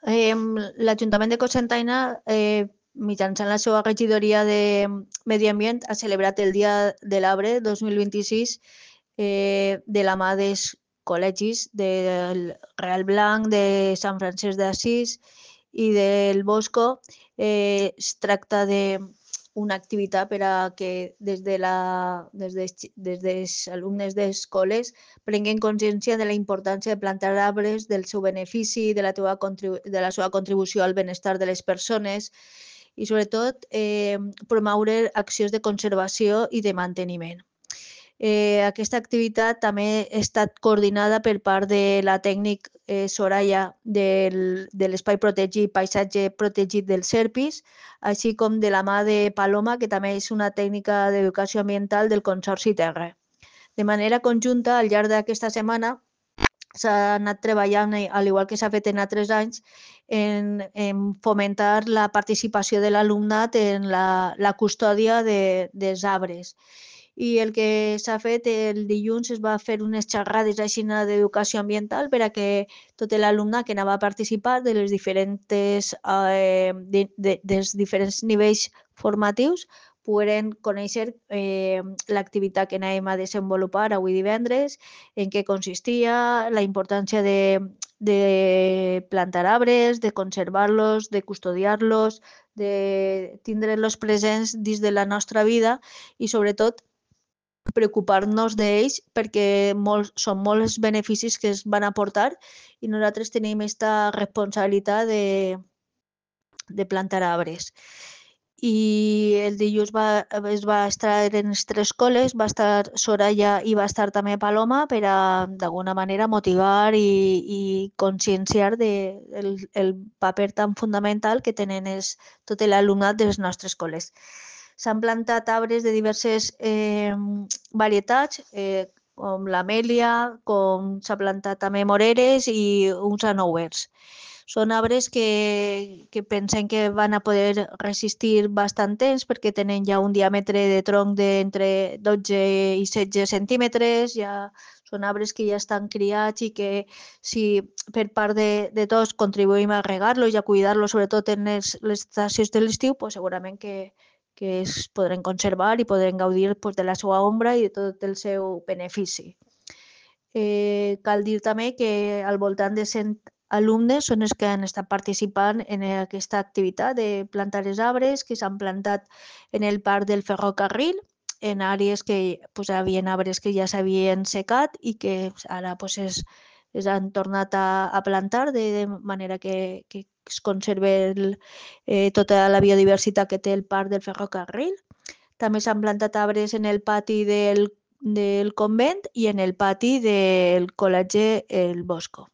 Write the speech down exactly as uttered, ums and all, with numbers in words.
Eh, L'Ajuntament de Cocentaina, eh, mitjançant la seva regidoria de Medi Ambient, ha celebrat el Dia de l'Arbre dos mil vint-i-sis eh, de la mà dels col·legis del Real Blanc, de Sant Francesc d'Assís i del Bosco. Eh, es tracta de una activitat per a que des de la, des de, des dels alumnes d'escoles prenguen consciència de la importància de plantar arbres, del seu benefici, de la, teva de la seva contribució al benestar de les persones i, sobretot, eh, promoure accions de conservació i de manteniment. Eh, aquesta activitat també ha estat coordinada per part de la tècnic eh, Soraya del, de l'Espai Protegit, Paisatge Protegit del Serpis, així com de la mà de Paloma, que també és una tècnica d'educació ambiental del Consorci Terra. De manera conjunta, al llarg d'aquesta setmana, s'ha anat treballant, al igual que s'ha fet en altres anys, en, en fomentar la participació de l'alumnat en la, la custòdia de, dels arbres. I el que s'ha fet el dilluns es va fer unes xerrades així d'educació ambiental per a que tot l'alumnat que anava a participar de les diferents, eh, de, de, dels diferents nivells formatius pogueren conèixer eh, l'activitat que anàvem a desenvolupar avui divendres, en què consistia, la importància de, de plantar arbres, de conservar-los, de custodiar-los, de tindre-los presents dins de la nostra vida i, sobretot, preocupar-nos d'ells perquè molts, són molts els beneficis que es van aportar i nosaltres tenim aquesta responsabilitat de, de plantar arbres. I el dilluns va, es va estar en les tres escoles, va estar Soraya i va estar també Paloma per a, d'alguna manera, motivar i, i conscienciar de, el, el paper tan fundamental que tenen els, tot l'alumnat de les nostres escoles. S'han plantat arbres de diverses eh, varietats, eh, com l'amèlia, com s'ha plantat també moreres i uns anouers. Són arbres que, que pensem que van a poder resistir bastant temps perquè tenen ja un diàmetre de tronc d'entre dotze i setze centímetres, ja són arbres que ja estan criats i que si per part de, de tots contribuïm a regar-los i a cuidar-los, sobretot en les, les estacions de l'estiu, pues segurament que, que es podran conservar i podran gaudir pues, de la seva ombra i de tot el seu benefici. Eh, cal dir també que al voltant de cent alumnes són els que han estat participant en aquesta activitat de plantar els arbres que s'han plantat en el parc del ferrocarril, en àrees que pues, hi havia arbres que ja s'havien secat i que ara pues, es, es han tornat a, a plantar de, de manera que, que es conserve el, eh, tota la biodiversitat que té el parc del ferrocarril. També s'han plantat arbres en el pati del, del convent i en el pati del col·legi El Bosco.